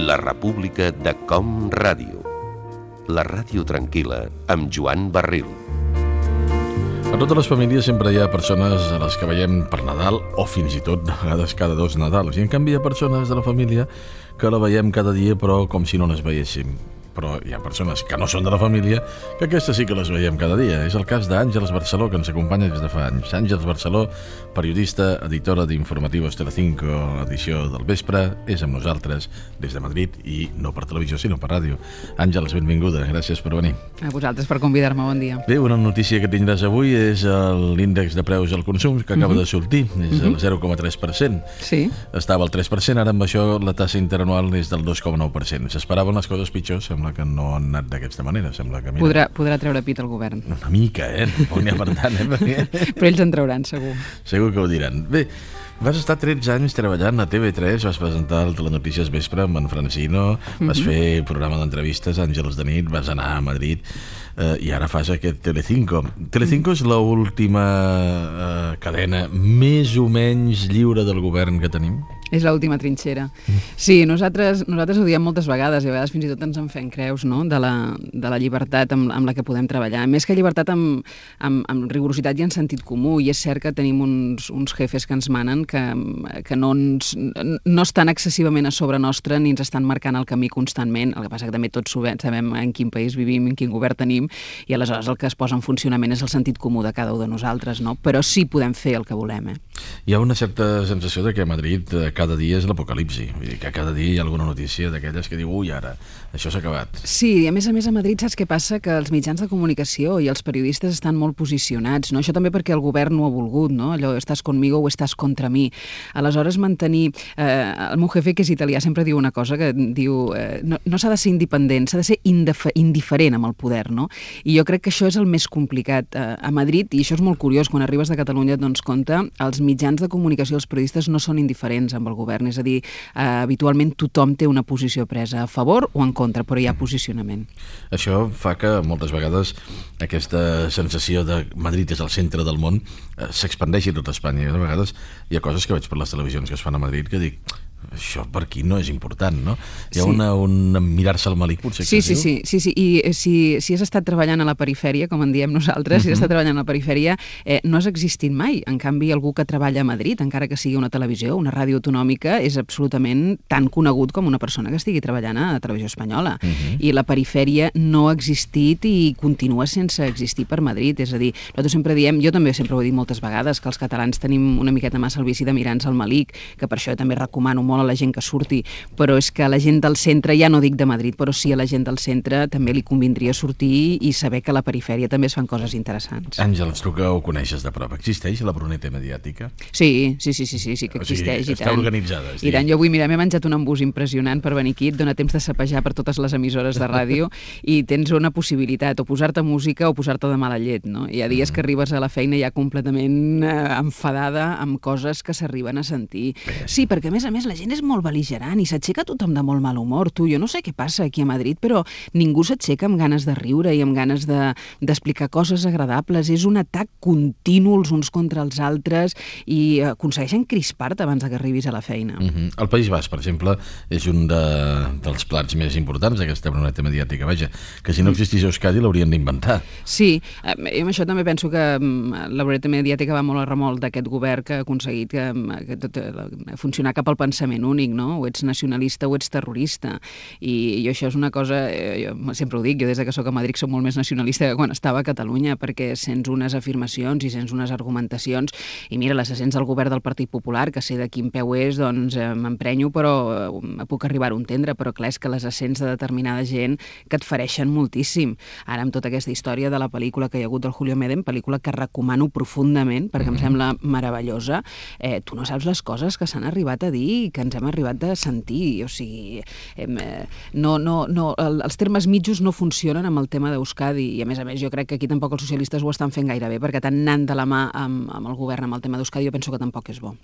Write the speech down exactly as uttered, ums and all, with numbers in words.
La República de Com Ràdio. La ràdio tranquil·la amb Joan Barril. A totes les famílies sempre hi ha persones a les que veiem per Nadal o fins i tot a vegades cada dos Nadals. I en canvi hi ha persones de la família que la veiem cada dia però com si no les veiéssim. Però hi ha persones que no són de la família que aquestes sí que les veiem cada dia. És el cas d'Àngels Barceló, que ens acompanya des de fa anys. Àngels Barceló, periodista, editora d'Informativos Telecinco, edició del vespre, és amb nosaltres des de Madrid i no per televisió sinó per ràdio. Àngels, benvinguda, gràcies per venir. A vosaltres per convidar-me, bon dia. Bé, una notícia que tindràs avui és l'índex de preus al consum que acaba uh -huh. de sortir, és el zero coma tres per cent. Sí. Estava al tres per cent, ara amb això la tassa interanual és del dos coma nou per cent. S'esperaven les coses pitjors, sembla que no han anat d'aquesta manera. Sembla que, mira, podrà, podrà treure pit al govern. Una mica, eh? Tampoc n'hi ha per tant, eh? Perquè... Però ells en trauran, segur. Segur que ho diran. Bé, vas estar tretze anys treballant a T V tres, vas presentar el Telenotícies Vespre amb en Francino, vas uh -huh. fer programa d'entrevistes, Àngels de nit, vas anar a Madrid eh, i ara fas aquest Telecinco. Telecinco uh -huh. és l'última eh, cadena més o menys lliure del govern que tenim? És l'última trinxera. Sí, nosaltres, nosaltres ho diem moltes vegades i a vegades fins i tot ens en fem creus, no?, de la, de la llibertat amb, amb la que podem treballar. Més que llibertat amb, amb, amb rigorositat i en sentit comú, i és cert que tenim uns, uns jefes que ens manen que, que no, ens, no estan excessivament a sobre nostre ni ens estan marcant el camí constantment. El que passa que també tots sabem en quin país vivim, en quin govern tenim, i aleshores el que es posa en funcionament és el sentit comú de cada un de nosaltres, no? Però sí podem fer el que volem, eh? Hi ha una certa sensació de que a Madrid cada dia és l'apocalipsi, vull dir que cada dia hi ha alguna notícia d'aquelles que diu ui, ara, això s'ha acabat. Sí, i a més a més a Madrid saps què passa? Que els mitjans de comunicació i els periodistes estan molt posicionats, no? Això també perquè el govern no ho ha volgut, no? Allò, estàs conmigo o estàs contra mi. Aleshores, mantenir... Eh, el meu jefe, que és italià, sempre diu una cosa que diu eh, no, no s'ha de ser independent, s'ha de ser indiferent amb el poder, no? I jo crec que això és el més complicat eh, a Madrid, i això és molt curiós, quan arribes de Catalunya et dones compte, els mitjans de comunicació, els periodistes no són indiferents amb el govern, és a dir, eh, habitualment tothom té una posició presa a favor o en contra, però hi ha posicionament. Això fa que moltes vegades aquesta sensació de Madrid és el centre del món eh, s'expandeixi a tot Espanya. I a vegades hi ha coses que veig per les televisions que es fan a Madrid que dic, això per aquí no és important, no? Hi ha sí. una, un mirar-se al malic, potser sí, que sí, sí, sí, sí, i si, si has estat treballant a la perifèria, com en diem nosaltres, uh -huh. si has estat treballant a la perifèria, eh, no has existit mai. En canvi, algú que treballa a Madrid, encara que sigui una televisió, una ràdio autonòmica, és absolutament tan conegut com una persona que estigui treballant a Televisió Espanyola. Uh -huh. I la perifèria no ha existit i continua sense existir per Madrid. És a dir, nosaltres sempre diem, jo també sempre ho he dit moltes vegades, que els catalans tenim una miqueta massa el vici de mirar-nos al malic, que per això també recomano molt a la gent que surti, però és que a la gent del centre, ja no dic de Madrid, però sí a la gent del centre també li convindria sortir i saber que a la perifèria també es fan coses interessants. Àngels, tu que ho coneixes de prop, existeix la Bruneta mediàtica? Sí, sí, sí, sí, sí, sí que existeix. O sigui, està organitzada. I tant, jo avui, mira, m'he menjat un embús impressionant per venir aquí, et dona temps de sapejar per totes les emissores de ràdio i tens una possibilitat, o posar-te música o posar-te de mala llet, no? Hi ha dies que arribes a la feina ja completament eh, enfadada amb coses que s'arriben a sentir. Sí, perquè a més a més la gent és molt bel·ligerant i s'aixeca tothom de molt mal humor. Tu, jo no sé què passa aquí a Madrid, però ningú s'aixeca amb ganes de riure i amb ganes de, d'explicar coses agradables. És un atac continu els uns contra els altres i aconsegueixen crispar-te abans que arribis a la feina. Uh-huh. El País Basc, per exemple, és un de, dels plats més importants d'aquesta Bruneta mediàtica. Vaja, que si no existís a Euskadi l'haurien d'inventar. Sí, eh, amb això també penso que la Bruneta mediàtica va molt a remolc d'aquest govern que ha aconseguit que, que tot, funcionar cap al pensament únic, no? O ets nacionalista o ets terrorista. I, i això és una cosa, eh, jo sempre ho dic, jo des que soc a Madrid soc molt més nacionalista que quan estava a Catalunya, perquè sents unes afirmacions i sents unes argumentacions, i mira, les sents del govern del Partit Popular, que sé de quin peu és, doncs eh, m'emprenyo, però eh, puc arribar-ho a entendre, però clar, és que les essents de determinada gent que et fereixen moltíssim. Ara, amb tota aquesta història de la pel·lícula que hi ha hagut del Julio Medem, pel·lícula que recomano profundament, perquè em sembla meravellosa, eh, tu no saps les coses que s'han arribat a dir, que ens hem arribat a sentir, o sigui, eh, no, no, no, els termes mitjos no funcionen amb el tema d'Euskadi, i a més a més jo crec que aquí tampoc els socialistes ho estan fent gaire bé, perquè tant anant de la mà amb, amb el govern amb el tema d'Euskadi jo penso que tampoc és bo.